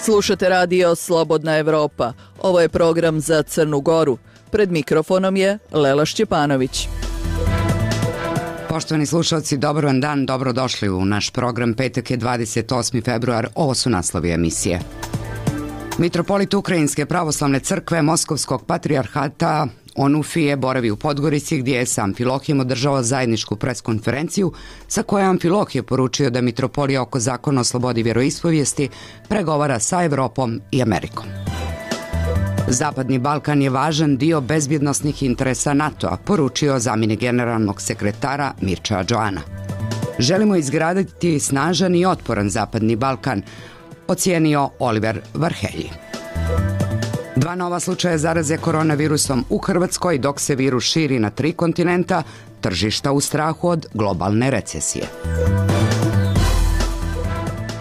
Slušate radio Slobodna Evropa. Ovo je program za Crnu Goru. Pred mikrofonom je Lela Šćepanović. Poštovani slušalci, dobar vam dan, dobrodošli u naš program. Petak je 28. februar, ovo su naslovi emisije. Mitropolit Ukrajinske pravoslavne crkve Moskovskog patrijarhata Onufije boravi u Podgorici, gdje je sa Amfilohijem održao zajedničku preskonferenciju sa kojom Amfilohije poručio da mitropolija oko zakona o slobodi vjeroispovijesti pregovara sa Evropom i Amerikom. Zapadni Balkan je važan dio bezbjednosnih interesa NATO-a, poručio zamjenik generalnog sekretara Mirča Džoana. Želimo izgraditi snažan i otporan Zapadni Balkan, ocijenio Oliver Varhelji. 2 nova slučaja zaraze koronavirusom u Hrvatskoj, dok se virus širi na 3 kontinenta, tržišta u strahu od globalne recesije.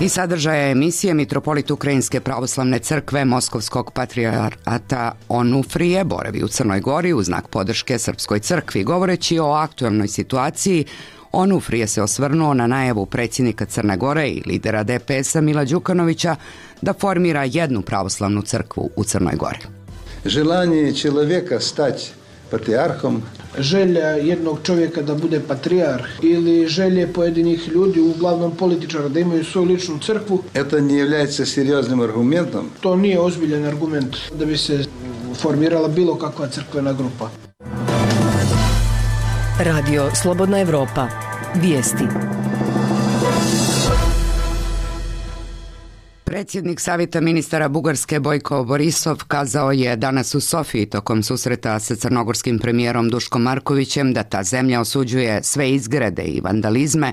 I sadržaja emisije mitropolit Ukrajinske pravoslavne crkve Moskovskog patrijarhata Onufrije boravi u Crnoj Gori u znak podrške Srpskoj crkvi. Govoreći o aktualnoj situaciji, Onufrije se osvrnuo na najavu predsjednika Crne Gore i lidera DPS-a Mila Đukanovića da formira jednu pravoslavnu crkvu u Crnoj Gori. Želanje čovjeka stati patrijarhom, želja jednog čovjeka da bude patrijarh ili želje pojedinih ljudi, uglavnom političara, da imaju svoju ličnu crkvu, to ne является серьезным аргументом. To nije ozbiljan argument da bi se formirala bilo kakva crkvena grupa. Radio Slobodna Evropa. Vijesti. Predsjednik Savjeta ministara Bugarske Bojko Borisov kazao je danas u Sofiji tokom susreta sa crnogorskim premijerom Duškom Markovićem da ta zemlja osuđuje sve izgrede i vandalizme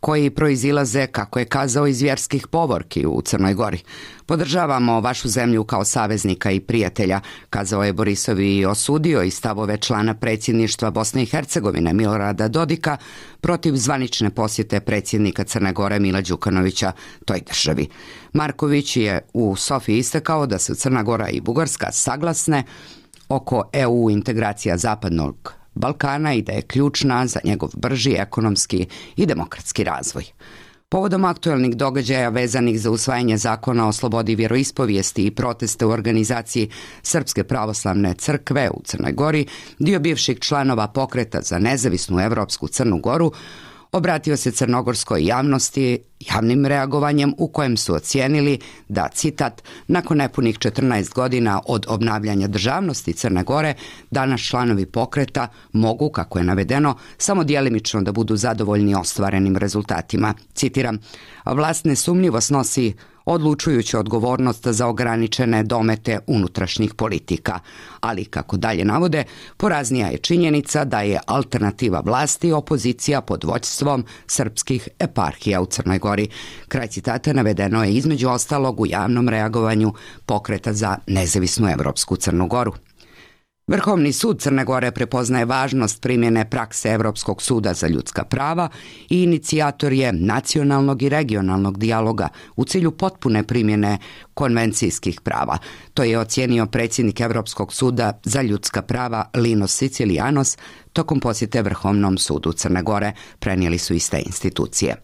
koji proizilaze, kako je kazao, iz vjerskih povorki u Crnoj Gori. Podržavamo vašu zemlju kao saveznika i prijatelja, kazao je Borisov i osudio i stavove člana predsjedništva Bosne i Hercegovine Milorada Dodika protiv zvanične posjete predsjednika Crne Gore Mila Đukanovića toj državi. Marković je u Sofiji istakao da su Crna Gora i Bugarska saglasne oko EU integracija Zapadnog Balkana i da je ključna za njegov brži ekonomski i demokratski razvoj. Povodom aktualnih događaja vezanih za usvajanje zakona o slobodi vjeroispovijesti i proteste u organizaciji Srpske pravoslavne crkve u Crnoj Gori, dio bivših članova pokreta za nezavisnu evropsku Crnu Goru obratio se crnogorskoj javnosti javnim reagovanjem u kojem su ocijenili da, citat, nakon nepunih 14 godina od obnavljanja državnosti Crne Gore, danas članovi pokreta mogu, kako je navedeno, samo djelimično da budu zadovoljni ostvarenim rezultatima. Citiram, vlast nesumnjivo snosi odlučujuću odgovornost za ograničene domete unutrašnjih politika. Ali, kako dalje navode, poraznija je činjenica da je alternativa vlasti opozicija pod vođstvom srpskih eparhija u Crnoj Gori. Kraj citata navedeno je između ostalog u javnom reagovanju pokreta za nezavisnu evropsku Crnu Goru. Vrhovni sud Crne Gore prepoznaje važnost primjene prakse Evropskog suda za ljudska prava i inicijator je nacionalnog i regionalnog dijaloga u cilju potpune primjene konvencijskih prava. To je ocijenio predsjednik Evropskog suda za ljudska prava Linos Sicilianos tokom posjete Vrhovnom sudu Crne Gore, prenijeli su iste institucije.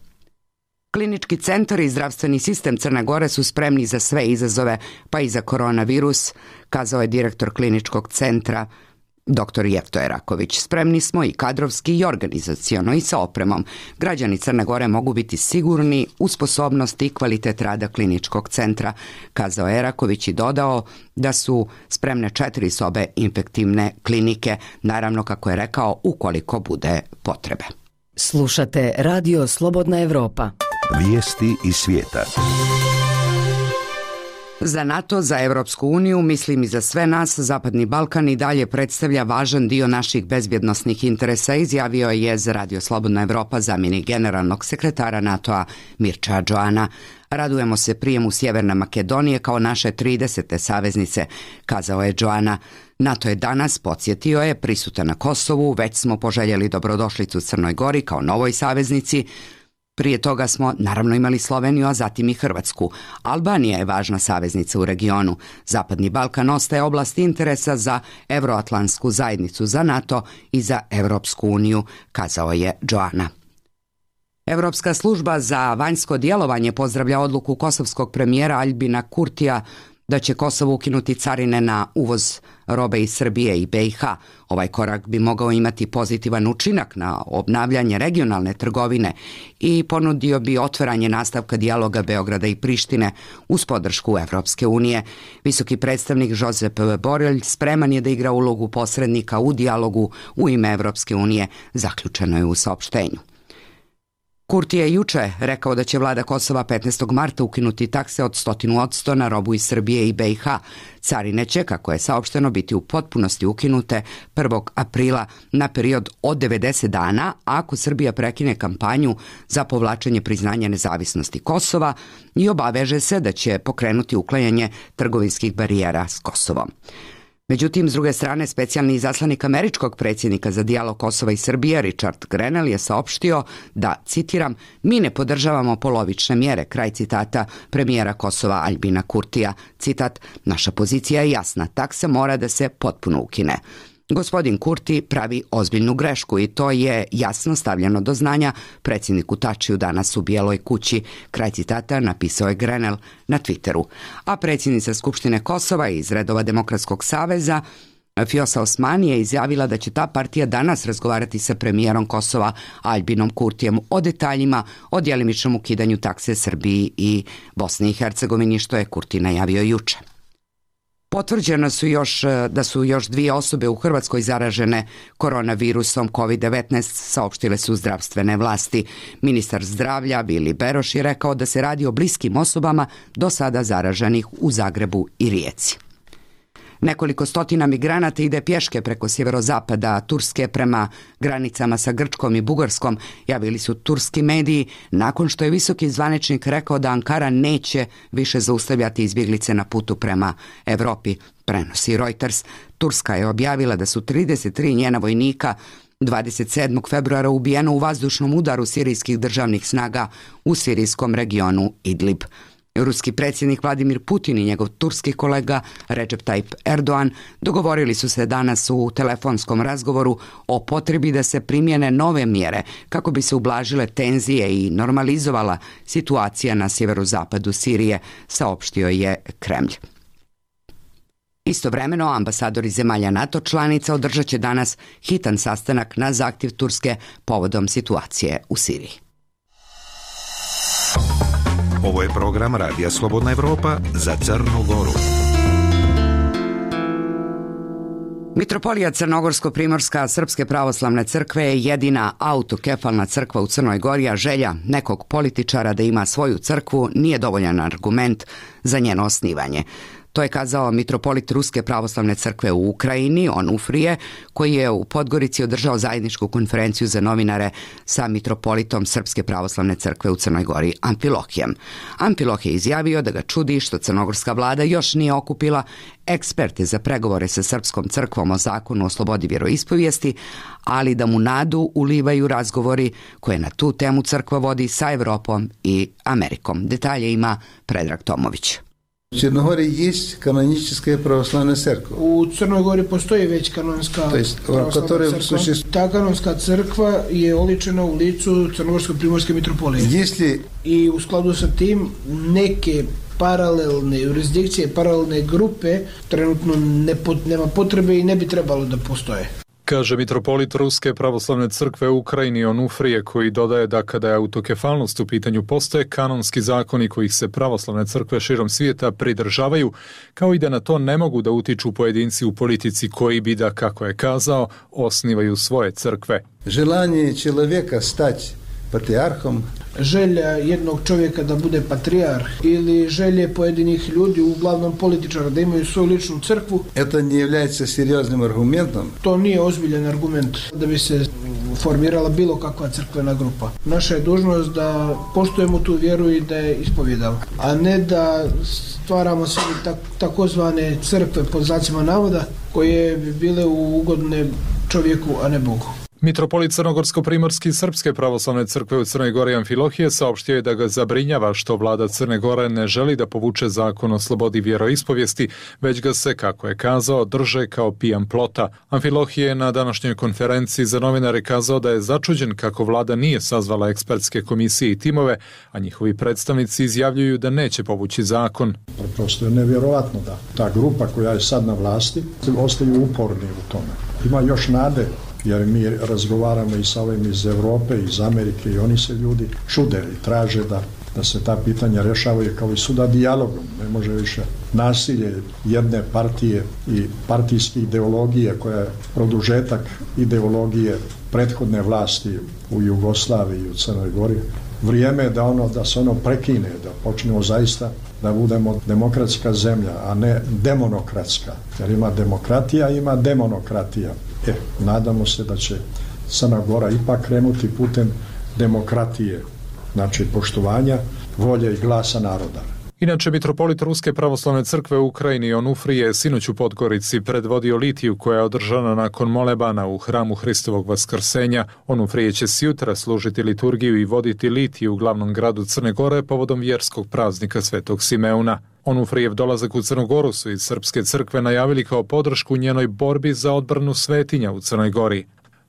Klinički centar i zdravstveni sistem Crne Gore su spremni za sve izazove, pa i za koronavirus, kazao je direktor kliničkog centra dr. Jefto Eraković. Spremni smo i kadrovski i organizaciono i sa opremom. Građani Crne Gore mogu biti sigurni u sposobnost i kvalitet rada kliničkog centra, kazao Eraković i dodao da su spremne 4 sobe infektivne klinike, naravno, kako je rekao, ukoliko bude potrebe. Slušate Radio Slobodna Evropa. Vijesti iz svijeta. Za NATO, za Europsku uniju, mislim i za sve nas, Zapadni Balkan i dalje predstavlja važan dio naših bezbjednosnih interesa, izjavio je za Radio Slobodna Evropa zamjenik generalnog sekretara NATO-a Mirča Džoana. Radujemo se prijemu Sjeverne Makedonije kao naše 30. saveznice, kazao je Džoana. NATO je danas, podsjetio je, prisutan na Kosovu, već smo poželjeli dobrodošlicu Crnoj Gori kao novoj saveznici. Prije toga smo naravno imali Sloveniju, a zatim i Hrvatsku. Albanija je važna saveznica u regionu. Zapadni Balkan ostaje oblast interesa za Evroatlantsku zajednicu, za NATO i za Europsku uniju, kazao je Džoana. Evropska služba za vanjsko djelovanje pozdravlja odluku kosovskog premijera Aljbina Kurtija da će Kosovo ukinuti carine na uvoz robe iz Srbije i BiH. Ovaj korak bi mogao imati pozitivan učinak na obnavljanje regionalne trgovine i ponudio bi otvaranje nastavka dijaloga Beograda i Prištine uz podršku Evropske unije. Visoki predstavnik Josep Borrell spreman je da igra ulogu posrednika u dijalogu u ime Evropske unije, zaključeno je u saopštenju. Kurti je juče rekao da će vlada Kosova 15. marta ukinuti takse od 100% na robu iz Srbije i BiH. Carine će, kako je saopšteno, biti u potpunosti ukinute 1. aprila na period od 90 dana ako Srbija prekine kampanju za povlačenje priznanja nezavisnosti Kosova i obaveže se da će pokrenuti uklanjanje trgovinskih barijera s Kosovom. Međutim, s druge strane, specijalni izaslanik američkog predsjednika za dijalog Kosova i Srbije, Richard Grenell, je saopštio da, citiram, mi ne podržavamo polovične mjere, kraj citata premijera Kosova Aljbina Kurtija. Citat, naša pozicija je jasna, taksa mora da se potpuno ukine. Gospodin Kurti pravi ozbiljnu grešku i to je jasno stavljeno do znanja predsjedniku Tačiju danas u Bijeloj kući. Kraj citata napisao je Grenell na Twitteru. A predsjednica Skupštine Kosova iz redova Demokratskog saveza Fjosa Osmani je izjavila da će ta partija danas razgovarati sa premijerom Kosova Aljbinom Kurtijem o detaljima o djelimičnom ukidanju takse Srbiji i Bosni i Hercegovini, što je Kurti najavio juče. Potvrđeno da su još 2 osobe u Hrvatskoj zaražene koronavirusom COVID-19, saopštile su zdravstvene vlasti. Ministar zdravlja Vili Beroš je rekao da se radi o bliskim osobama do sada zaraženih u Zagrebu i Rijeci. Nekoliko stotina migranata ide pješke preko sjeverozapada Turske prema granicama sa Grčkom i Bugarskom, javili su turski mediji nakon što je visoki zvaničnik rekao da Ankara neće više zaustavljati izbjeglice na putu prema Europi, prenosi Reuters. Turska je objavila da su 33 njena vojnika 27. februara ubijeno u vazdušnom udaru sirijskih državnih snaga u sirijskom regionu Idlib. Ruski predsjednik Vladimir Putin i njegov turski kolega Recep Tayyip Erdogan dogovorili su se danas u telefonskom razgovoru o potrebi da se primjene nove mjere kako bi se ublažile tenzije i normalizovala situacija na sjeverozapadu Sirije, saopštio je Kremlj. Istovremeno, ambasadori zemalja NATO članica održat će danas hitan sastanak na zahtjev Turske povodom situacije u Siriji. Ovo je program Radija Slobodna Evropa za Crnu Goru. Mitropolija Crnogorsko-Primorska Srpske pravoslavne crkve je jedina autokefalna crkva u Crnoj Gori, a želja nekog političara da ima svoju crkvu nije dovoljan argument za njeno osnivanje. To je kazao mitropolit Ruske pravoslavne crkve u Ukrajini, Onufrije, koji je u Podgorici održao zajedničku konferenciju za novinare sa mitropolitom Srpske pravoslavne crkve u Crnoj Gori, Amfilohijem. Amfilohije je izjavio da ga čudi što crnogorska vlada još nije okupila eksperte za pregovore sa Srpskom crkvom o zakonu o slobodi vjeroispovijesti, ali da mu nadu ulivaju razgovori koje na tu temu crkva vodi sa Evropom i Amerikom. Detalje ima Predrag Tomović. В Черногории есть каноническая православная церковь. U Crnoj Gori postoji već kanonska pravoslavna crkva. Ta kanonska crkva je oličena u licu Crnogorsko-Primorske mitropolije. I u skladu sa tim neke paralelne jurisdikcije, paralelne grupe trenutno nema potrebe i ne bi trebalo da postoje. Kaže mitropolit Ruske pravoslavne crkve u Ukrajini Onufrije, koji dodaje da kada je autokefalnost u pitanju postoje kanonski zakoni kojih se pravoslavne crkve širom svijeta pridržavaju, kao i da na to ne mogu da utiču pojedinci u politici koji bi da, kako je kazao, osnivaju svoje crkve. Желание человека стать patrijarhom. Želja jednog čovjeka da bude patrijarh ili želje pojedinih ljudi, uglavnom političara, da imaju svoju ličnu crkvu. Это не является серьезным аргументом. To nije ozbiljan argument da bi se formirala bilo kakva crkvena grupa. Naša je dužnost da poštujemo tu vjeru i da je ispovjedamo, a ne da stvaramo sebi takozvane crkve pod znacima navoda koje bi bile ugodne čovjeku, a ne Bogu. Mitropolit Crnogorsko-primorski Srpske pravoslavne crkve u Crnoj Gori Amfilohije saopštio je da ga zabrinjava što vlada Crne Gore ne želi da povuče zakon o slobodi vjeroispovijesti, već ga se, kako je kazao, drže kao pijan plota. Amfilohije je na današnjoj konferenciji za novinare kazao da je začuđen kako vlada nije sazvala ekspertske komisije i timove, a njihovi predstavnici izjavljuju da neće povući zakon. Prosto je nevjerovatno da ta grupa koja je sad na vlasti ostaju uporni u tome. Ima još nade, jer mi razgovaramo i sa ovim iz Europe, iz Amerike i oni se ljudi čude i traže da se ta pitanja rešavaju kao i suda dijalogom. Ne može više nasilje jedne partije i partijske ideologije koja je produžetak ideologije prethodne vlasti u Jugoslaviji i u Crnoj Gori. Vrijeme je da se ono prekine, da počnemo zaista da budemo demokratska zemlja, a ne demonokratska. Jer ima demokratija, ima demonokratija. Nadamo se da će Crna Gora ipak krenuti putem demokratije, znači poštovanja volje i glasa naroda. Inače, mitropolit Ruske pravoslavne crkve u Ukrajini Onufrije je sinoć u Podgorici predvodio litiju koja je održana nakon molebana u hramu Hristovog vaskrsenja. Onufrije će sjutra služiti liturgiju i voditi litiju u glavnom gradu Crne Gore povodom vjerskog praznika Svetog Simeuna. Onufrijev dolazak u Crnu Goru su iz Srpske crkve najavili kao podršku njenoj borbi za odbranu svetinja u Crnoj Gori.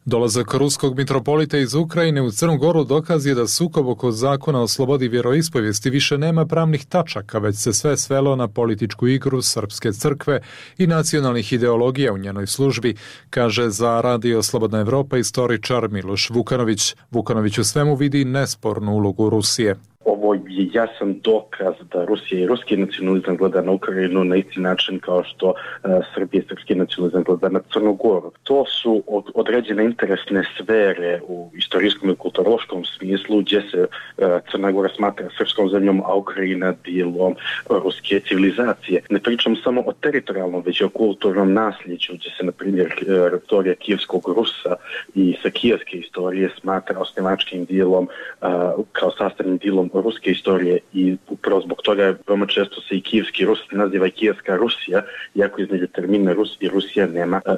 Dolazak ruskog mitropolita iz Ukrajine u Crnu Goru dokaz je da sukob oko zakona o slobodi vjeroispovijesti više nema pravnih tačaka, već se sve svelo na političku igru Srpske crkve i nacionalnih ideologija u njenoj službi, kaže za Radio Slobodna Evropa istoričar Miloš Vukanović. Vukanović u svemu vidi nespornu ulogu Rusije. Ovo je jasan dokaz da Rusija i ruski nacionalizam gleda na Ukrajinu na isti način kao što Srbija i srpski nacionalizam gleda na Crnu Goru. To su određene interesne sfere u istorijskom i kulturološkom smislu gdje se Crna Gora smatra srpskom zemljom, a Ukrajina dijelom ruske civilizacije. Ne pričam samo o teritorijalnom, već i o kulturnom nasljeđu gdje se, na primjer, istorija kijevskog Rusa i sa kijevske istorije smatra osnivačkim dijelom kao sastavnim dijelom ruske istorije i upravo zbog toga veoma često se i kijevski Rus naziva i kijevska Rusija, iako između termina Rus i Rusija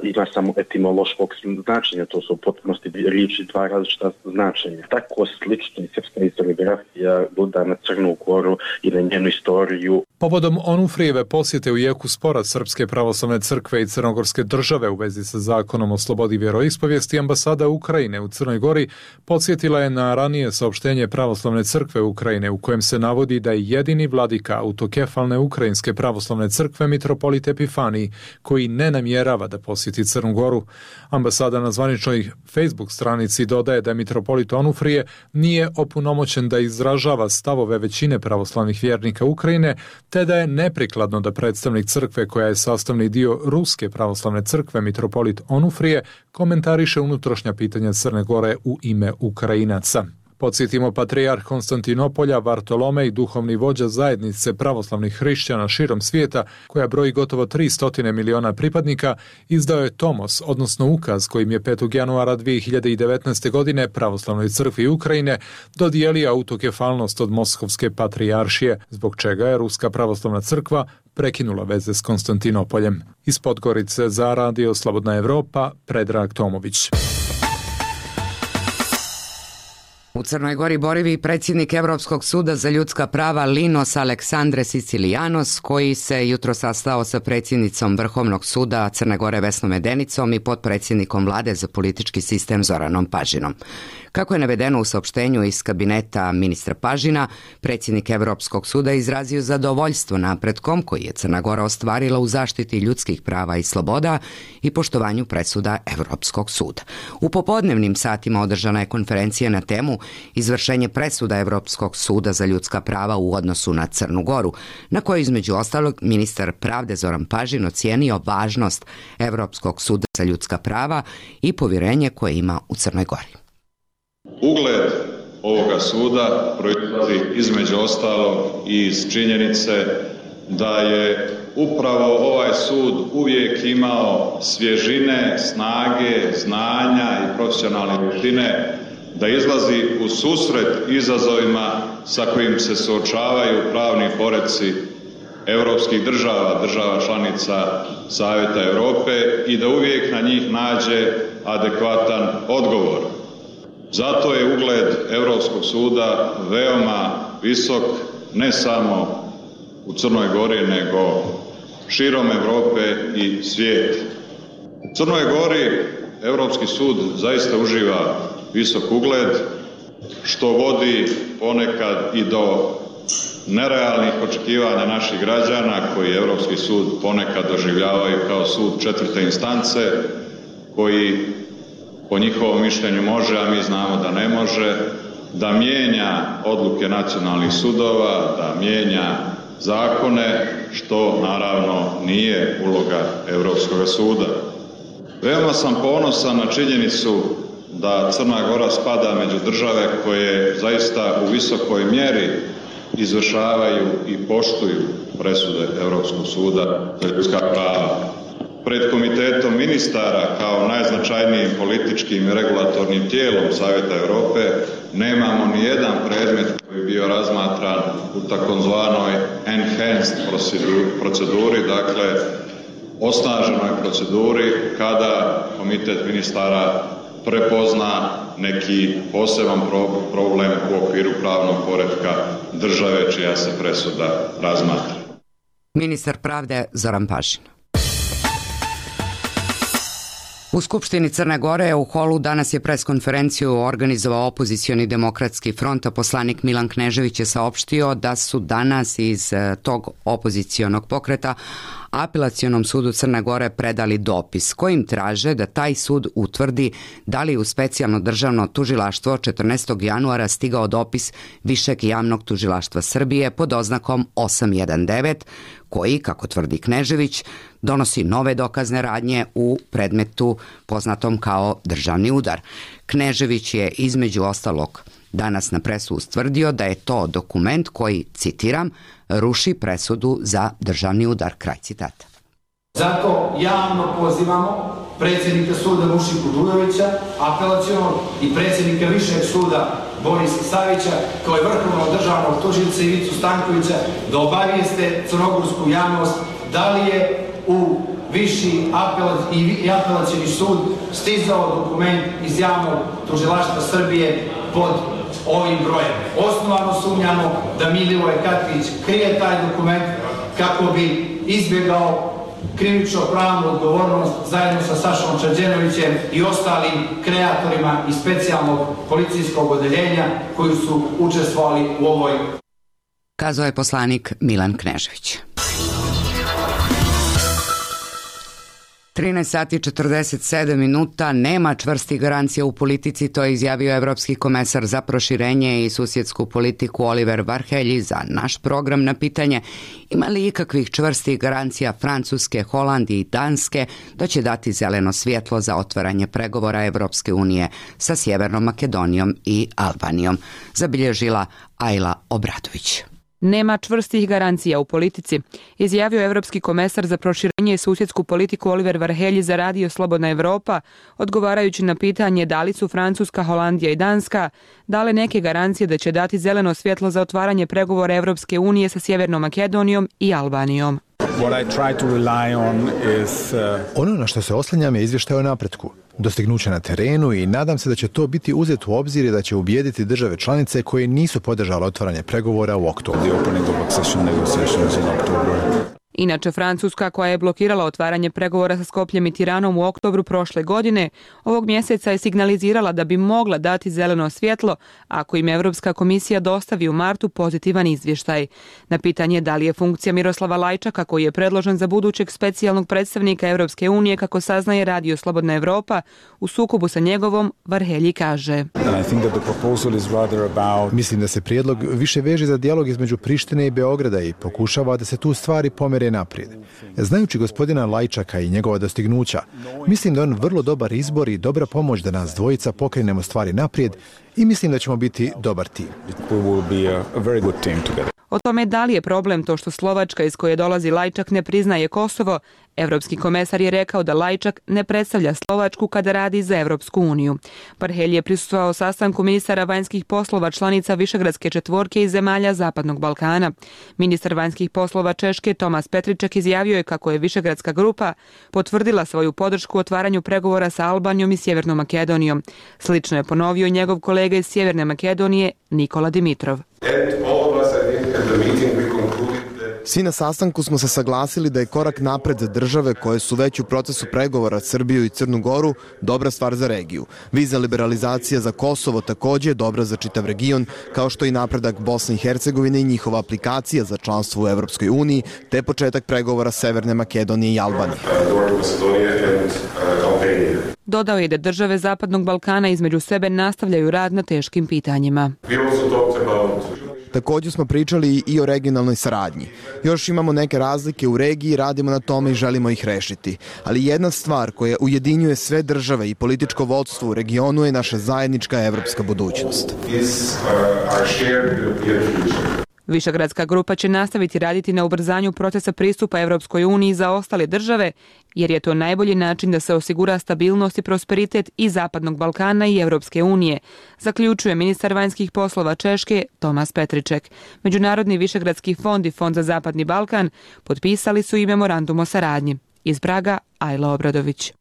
ima samo etimološkog značenja, to su u potpunosti riječi dva različita značenja. Tako slično i srpska historiografija gleda na Crnu Goru i na njenu istoriju. Povodom Onufrijeve posjete u jeku spora Srpske pravoslavne crkve i Crnogorske države u vezi sa zakonom o slobodi vjeroispovijesti, ambasada Ukrajine u Crnoj Gori podsjetila je na ranije saopštenje Pravoslavne crkve Ukrajine u kojem se navodi da je jedini vladika autokefalne Ukrajinske pravoslavne crkve mitropolit Epifanij, koji ne namjerava da posjeti Crnu Goru. Ambasada na zvaničnoj Facebook stranici dodaje da mitropolit Onufrije nije opunomoćen da izražava stavove većine pravoslavnih vjernika Ukrajine, te da je neprikladno da predstavnik crkve koja je sastavni dio Ruske pravoslavne crkve mitropolit Onufrije komentariše unutrašnja pitanja Crne Gore u ime Ukrajinaca. Podsjetimo, patrijarh Konstantinopolja Vartolomej, duhovni vođa zajednice pravoslavnih hrišćana širom svijeta, koja broji gotovo 300 miliona pripadnika, izdao je tomos, odnosno ukaz kojim je 5. januara 2019. godine Pravoslavnoj crkvi Ukrajine dodijelio autokefalnost od Moskovske patrijaršije, zbog čega je Ruska pravoslavna crkva prekinula veze s Konstantinopoljem. Iz Podgorice za Radio Slobodna Evropa, Predrag Tomović. U Crnoj Gori boravi predsjednik Evropskog suda za ljudska prava Linos Aleksandre Sicilijanos, koji se jutro sastao sa predsjednicom Vrhovnog suda Crne Gore Vesnom Medenicom i potpredsjednikom vlade za politički sistem Zoranom Pažinom. Kako je navedeno u saopštenju iz kabineta ministra Pažina, predsjednik Evropskog suda izrazio zadovoljstvo napretkom koji je Crna Gora ostvarila u zaštiti ljudskih prava i sloboda i poštovanju presuda Evropskog suda. U popodnevnim satima održana je konferencija na temu izvršenje presuda Evropskog suda za ljudska prava u odnosu na Crnu Goru, na kojoj između ostalog ministar pravde Zoran Pažin ocijenio važnost Evropskog suda za ljudska prava i povjerenje koje ima u Crnoj Gori. Ugled ovoga suda proizlazi između ostalog i iz činjenice da je upravo ovaj sud uvijek imao svježine, snage, znanja i profesionalne vještine da izlazi u susret izazovima sa kojim se suočavaju pravni poreci europskih država, država članica Savjeta Europe i da uvijek na njih nađe adekvatan odgovor. Zato je ugled Europskog suda veoma visok, ne samo u Crnoj Gori, nego širom Europe i svijeta. U Crnoj Gori Europski sud zaista uživa visok ugled, što vodi ponekad i do nerealnih očekivanja naših građana koji Europski sud ponekad doživljavaju kao sud četvrte instance, koji po njihovom mišljenju može, a mi znamo da ne može, da mijenja odluke nacionalnih sudova, da mijenja zakone, što naravno nije uloga Europskog suda. Veoma sam ponosan na činjenicu da Crna Gora spada među države koje zaista u visokoj mjeri izvršavaju i poštuju presude Europskog suda za ljudska prava. Pred Komitetom ministara kao najznačajnijim političkim i regulatornim tijelom Savjeta Europe nemamo ni jedan predmet koji bi bio razmatran u takozvanoj enhanced proceduri, dakle osnaženoj proceduri kada Komitet ministara prepozna neki poseban problem u okviru pravnog poretka države čija se presuda razmatra. Ministar pravde Zoran Pašin. U Skupštini Crne Gore u holu danas je preskonferenciju organizovao opozicioni demokratski front, a poslanik Milan Knežević je saopštio da su danas iz tog opozicionog pokreta Apelacionom sudu Crne Gore predali dopis kojim traže da taj sud utvrdi da li u specijalno državno tužilaštvo 14. januara stigao dopis Višeg javnog tužilaštva Srbije pod oznakom 819 koji, kako tvrdi Knežević, donosi nove dokazne radnje u predmetu poznatom kao državni udar. Knežević je između ostalog danas na presu ustvrdio da je to dokument koji, citiram, ruši presudu za državni udar. Kraj citata. Zato javno pozivamo predsjednika suda Mušiku Dujovića, apelacionog, i predsjednika Višeg suda Borisa Savića, kao i vrhovnog državnog tužioca Ivicu Stankovića, da obavijeste crnogorsku javnost da li je u Viši i apelacioni sud stizao dokument iz javnog tužilaštva Srbije pod ovim brojem. Osnovano sumnjamo da Milivoje Katvić krije taj dokument kako bi izbjegao krivično-pravnu odgovornost zajedno sa Sašom Čađenovićem i ostalim kreatorima iz specijalnog policijskog odeljenja koji su učestvovali u ovoj. Kazao je poslanik Milan Knežević. 13 sati 47 minuta, nema čvrstih garancija u politici, to je izjavio evropski komesar za proširenje i susjedsku politiku Oliver Varhelyi za naš program na pitanje ima li ikakvih čvrstih garancija Francuske, Holandije i Danske da će dati zeleno svjetlo za otvaranje pregovora Evropske unije sa Sjevernom Makedonijom i Albanijom, zabilježila Ajla Obradović. Nema čvrstih garancija u politici, izjavio evropski komesar za proširenje i susjedsku politiku Oliver Varhelyi za Radio Slobodna Evropa, odgovarajući na pitanje da li su Francuska, Holandija i Danska dale neke garancije da će dati zeleno svjetlo za otvaranje pregovora Evropske unije sa Sjevernom Makedonijom i Albanijom. Ono na što se oslanjam je izvještaj o napretku, dostignuće na terenu i nadam se da će to biti uzet u obzir i da će ubijediti države članice koje nisu podržale otvaranje pregovora u oktobru. Inače, Francuska, koja je blokirala otvaranje pregovora sa Skopljem i Tiranom u oktobru prošle godine, ovog mjeseca je signalizirala da bi mogla dati zeleno svjetlo ako im Evropska komisija dostavi u martu pozitivan izvještaj. Na pitanje da li je funkcija Miroslava Lajčaka, koji je predložen za budućeg specijalnog predstavnika Evropske unije, kako saznaje Radio Slobodna Evropa, u sukobu sa njegovom, Varhelyi kaže. Mislim da se prijedlog više veže za dijalog između Prištine i Beograda i pokušava da se tu stvari pomere naprijed. Znajući gospodina Lajčaka i njegova dostignuća, mislim da je on vrlo dobar izbor i dobra pomoć da nas dvojica pokrenemo stvari naprijed i mislim da ćemo biti dobar tim. O tome da li je problem to što Slovačka, iz koje dolazi Lajčak, ne priznaje Kosovo, Evropski komesar je rekao da Lajčak ne predstavlja Slovačku kada radi za Evropsku uniju. Parhelj je prisustvovao sastanku ministara vanjskih poslova članica Višegradske četvorke i zemalja Zapadnog Balkana. Ministar vanjskih poslova Češke Tomas Petriček izjavio je kako je Višegradska grupa potvrdila svoju podršku otvaranju pregovora sa Albanijom i Sjevernom Makedonijom. Slično je ponovio njegov kolega iz Sjeverne Makedonije Nikola Dimitrov. Svi na sastanku smo se saglasili da je korak napred za države koje su već u procesu pregovora Srbiju i Crnu Goru dobra stvar za regiju. Vizna liberalizacija za Kosovo također je dobra za čitav region, kao što i napredak Bosne i Hercegovine i njihova aplikacija za članstvo u Evropskoj uniji, te početak pregovora Severne Makedonije i Albanije. Dodao je da države Zapadnog Balkana između sebe nastavljaju rad na teškim pitanjima. Također smo pričali i o regionalnoj saradnji. Još imamo neke razlike u regiji, radimo na tome i želimo ih rešiti. Ali jedna stvar koja ujedinjuje sve države i političko vodstvo u regionu je naša zajednička evropska budućnost. Višegradska grupa će nastaviti raditi na ubrzanju procesa pristupa Evropskoj uniji za ostale države, jer je to najbolji način da se osigura stabilnost i prosperitet i Zapadnog Balkana i Evropske unije, zaključuje ministar vanjskih poslova Češke Tomas Petriček. Međunarodni Višegradski fond i Fond za Zapadni Balkan potpisali su i memorandum o saradnji. Iz Praga, Ajla Obradović.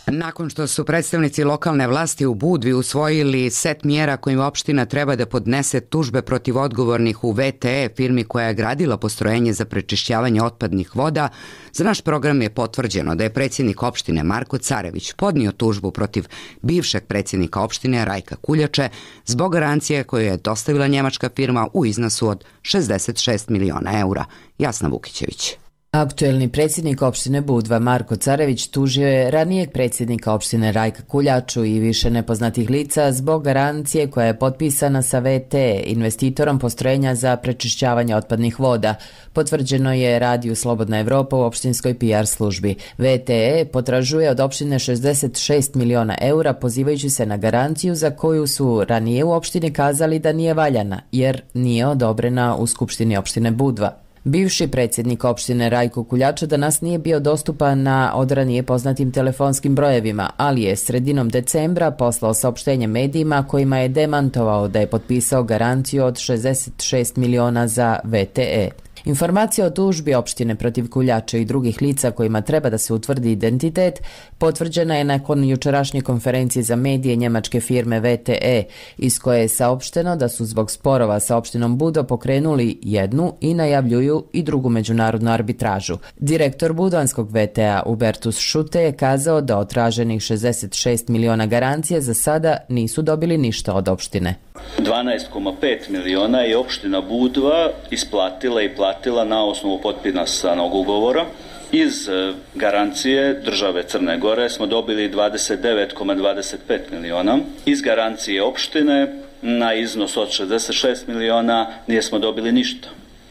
Nakon što su predstavnici lokalne vlasti u Budvi usvojili set mjera kojim opština treba da podnese tužbe protiv odgovornih u VTE, firmi koja je gradila postrojenje za prečišćavanje otpadnih voda, za naš program je potvrđeno da je predsjednik opštine Marko Carević podnio tužbu protiv bivšeg predsjednika opštine Rajka Kuljače zbog garancije koju je dostavila njemačka firma u iznosu od 66 miliona eura. Jasna Vukićević. Aktuelni predsjednik opštine Budva Marko Carević tužio je ranijeg predsjednika opštine Rajka Kuljaču i više nepoznatih lica zbog garancije koja je potpisana sa VTE, investitorom postrojenja za prečišćavanje otpadnih voda. Potvrđeno je radiju Slobodna Evropa u opštinskoj PR službi. VTE potražuje od opštine 66 miliona eura pozivajući se na garanciju za koju su ranije u opštini kazali da nije valjana jer nije odobrena u Skupštini opštine Budva. Bivši predsjednik opštine Rajko Kuljača danas nije bio dostupan na odranije poznatim telefonskim brojevima, ali je sredinom decembra poslao saopštenje medijima kojima je demantovao da je potpisao garanciju od 66 miliona za VTE. Informacija o tužbi opštine protiv Kuljača i drugih lica kojima treba da se utvrdi identitet potvrđena je nakon jučerašnje konferencije za medije njemačke firme VTE, iz koje je saopšteno da su zbog sporova sa opštinom Budo pokrenuli jednu i najavljuju i drugu međunarodnu arbitražu. Direktor budvanskog VTE Hubertus Šute je kazao da od traženih 66 miliona garancije za sada nisu dobili ništa od opštine. 12,5 miliona je opština Budva isplatila i platila na osnovu potpisanog ugovora. Iz garancije države Crne Gore smo dobili 29,25 miliona. Iz garancije opštine na iznos od 66 miliona nismo dobili ništa.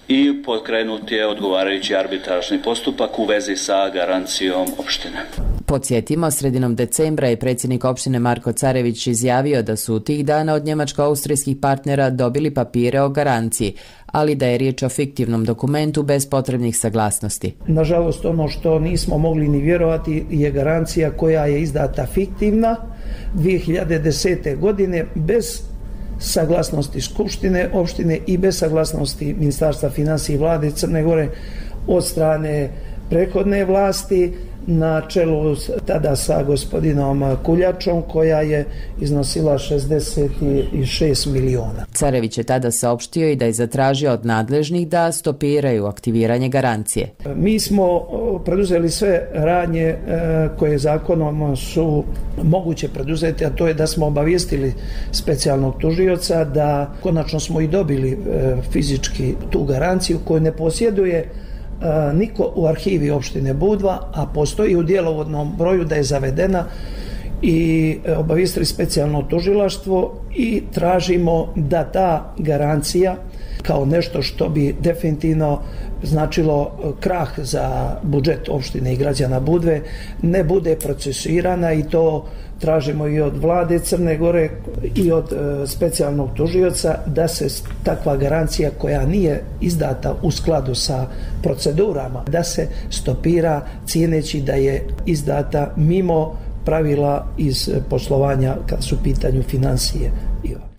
I pokrenut je odgovarajući arbitražni postupak u vezi sa garancijom opštine. Podsjetimo, sredinom decembra je predsjednik opštine Marko Carević izjavio da su tih dana od njemačko-austrijskih partnera dobili papire o garanciji, ali da je riječ o fiktivnom dokumentu bez potrebnih saglasnosti. Nažalost, ono što nismo mogli ni vjerovati je garancija koja je izdata fiktivna 2010. godine bez saglasnosti Skupštine opštine i bez saglasnosti Ministarstva financija i vlade Crne Gore od strane prethodne vlasti na čelu tada sa gospodinom Kuljačom koja je iznosila 66 miliona. Carević je tada saopštio i da je zatražio od nadležnih da stopiraju aktiviranje garancije. Mi smo preduzeli sve radnje koje zakonom su moguće preduzeti, a to je da smo obavijestili specijalnog tužioca da konačno smo i dobili fizički tu garanciju koju ne posjeduje niko u arhivi opštine Budva, a postoji u djelovodnom broju da je zavedena i obavijestili specijalno tužilaštvo i tražimo da ta garancija kao nešto što bi definitivno značilo krah za budžet opštine i građana Budve, ne bude procesuirana, i to tražimo i od vlade Crne Gore i od specijalnog tužioca da se takva garancija koja nije izdata u skladu sa procedurama, da se stopira cijeneći da je izdata mimo pravila iz poslovanja kad su u pitanju financije.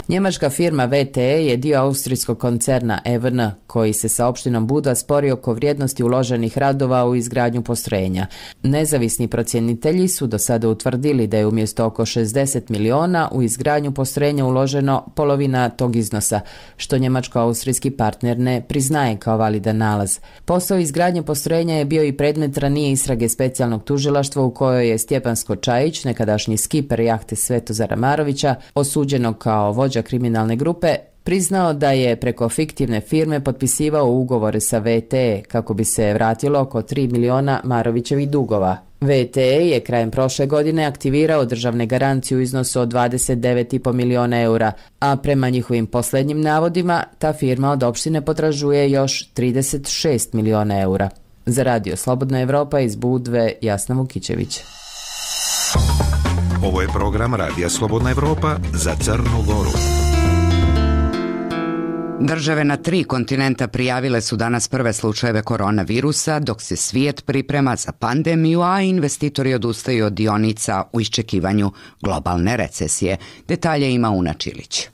Njemačka firma VTE je dio austrijskog koncerna EVN, koji se sa opštinom Budva spori oko vrijednosti uloženih radova u izgradnju postrojenja. Nezavisni procjenitelji su do sada utvrdili da je umjesto oko 60 miliona u izgradnju postrojenja uloženo polovina tog iznosa, što njemačko-austrijski partner ne priznaje kao validan nalaz. Posao izgradnje postrojenja je bio i predmet ranije istrage specijalnog tužilaštva u kojoj je Stjepan Skočajić, nekadašnji skiper jahte Svetozara Marovića, osuđenog kao vođa kriminalne grupe, priznao da je preko fiktivne firme potpisivao ugovore sa VTE kako bi se vratilo oko 3 miliona Marovićevih dugova. VTE je krajem prošle godine aktivirao državne garancije u iznosu od 29,5 miliona eura, a prema njihovim poslednjim navodima ta firma od opštine potražuje još 36 miliona eura. Za Radio Slobodna Evropa iz Budve, Jasna Vukićević. Ovo je program Radija Slobodna Evropa za Crnu Goru. Države na 3 kontinenta prijavile su danas prve slučajeve koronavirusa, dok se svijet priprema za pandemiju, a investitori odustaju od dionica u iščekivanju globalne recesije. Detalje ima Una Čilić.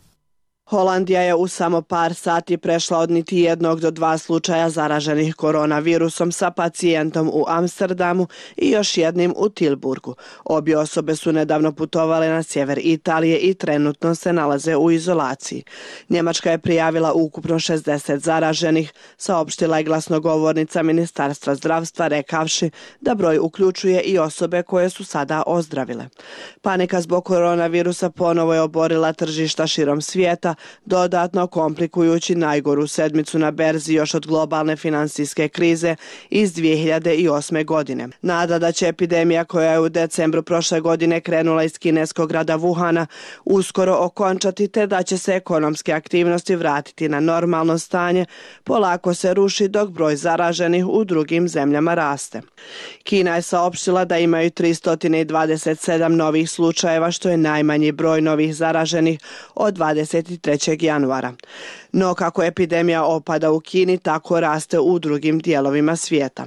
Holandija je u samo par sati prešla od niti 1 do 2 slučaja zaraženih koronavirusom sa pacijentom u Amsterdamu i još jednim u Tilburgu. Obje osobe su nedavno putovale na sjever Italije i trenutno se nalaze u izolaciji. Njemačka je prijavila ukupno 60 zaraženih, saopštila je glasnogovornica Ministarstva zdravstva rekavši da broj uključuje i osobe koje su sada ozdravile. Panika zbog koronavirusa ponovo je oborila tržišta širom svijeta, dodatno komplikujući najgoru sedmicu na berzi još od globalne finansijske krize iz 2008. godine. Nada da će epidemija koja je u decembru prošle godine krenula iz kineskog grada Wuhana uskoro okončati, te da će se ekonomske aktivnosti vratiti na normalno stanje, polako se ruši dok broj zaraženih u drugim zemljama raste. Kina je saopštila da imaju 327 novih slučajeva, što je najmanji broj novih zaraženih od 23. januara. No kako epidemija opada u Kini, tako raste u drugim dijelovima svijeta.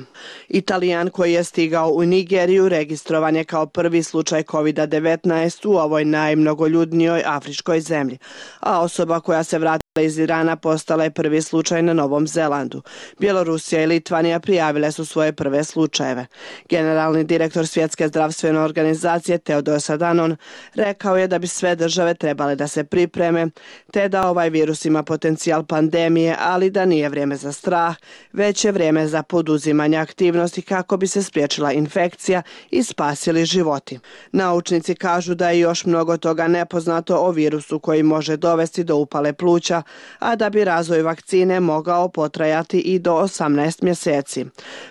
Italijan koji je stigao u Nigeriju registrovan je kao prvi slučaj COVID-19 u ovoj najmnogoljudnijoj afričkoj zemlji, a osoba koja se vratila iz Irana postala je prvi slučaj na Novom Zelandu. Bjelorusija i Litvanija prijavile su svoje prve slučajeve. Generalni direktor Svjetske zdravstvene organizacije Teodos Adhanom rekao je da bi sve države trebale da se pripreme, te da ovaj virus ima potencijal pandemije, ali da nije vrijeme za strah, već je vrijeme za poduzimanje aktivnosti kako bi se spriječila infekcija i spasili životi. Naučnici kažu da je još mnogo toga nepoznato o virusu koji može dovesti do upale pluća, a da bi razvoj vakcine mogao potrajati i do 18 mjeseci.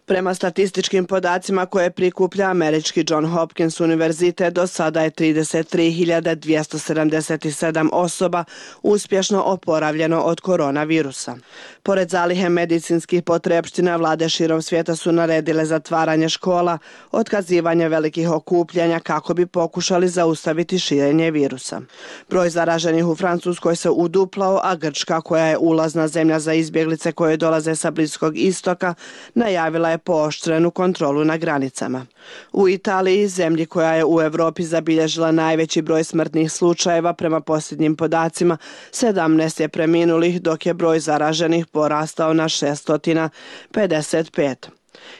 Prema statističkim podacima koje prikuplja američki John Hopkins univerzitet, do sada je 33.277 osoba uspješno oporavljeno od koronavirusa. Pored zalihe medicinskih potrepština, vlade širom svijeta su naredile zatvaranje škola, otkazivanje velikih okupljanja kako bi pokušali zaustaviti širenje virusa. Broj zaraženih u Francuskoj se uduplao, a Grčka, koja je ulazna zemlja za izbjeglice koje dolaze sa Bliskog istoka, najavila je pooštrenu kontrolu na granicama. U Italiji, zemlji koja je u Europi zabilježila najveći broj smrtnih slučajeva, prema posljednjim podacima 17 je preminulih, dok je broj zaraženih porastao na 655.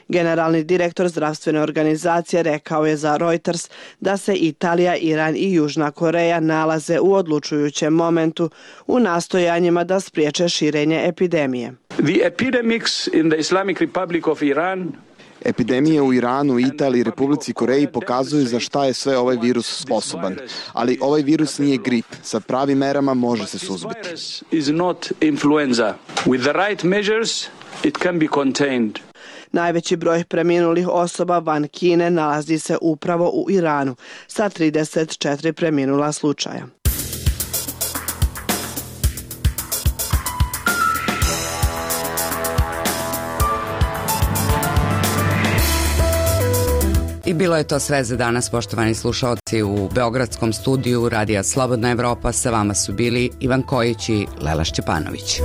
Generalni direktor zdravstvene organizacije rekao je za Reuters da se Italija, Iran i Južna Koreja nalaze u odlučujućem momentu u nastojanjima da spriječe širenje epidemije. The epidemics in the Islamic Republic of Iran Epidemije u Iranu, Italiji i Republici Koreji pokazuju za šta je sve ovaj virus sposoban. Ali ovaj virus nije grip. Sa pravim merama može se suzbiti. Najveći broj preminulih osoba van Kine nalazi se upravo u Iranu, sa 34 preminula slučaja. I bilo je to sve za danas, poštovani slušalci. U beogradskom studiju Radija Slobodna Evropa sa vama su bili Ivan Kojić i Lela Šćepanović.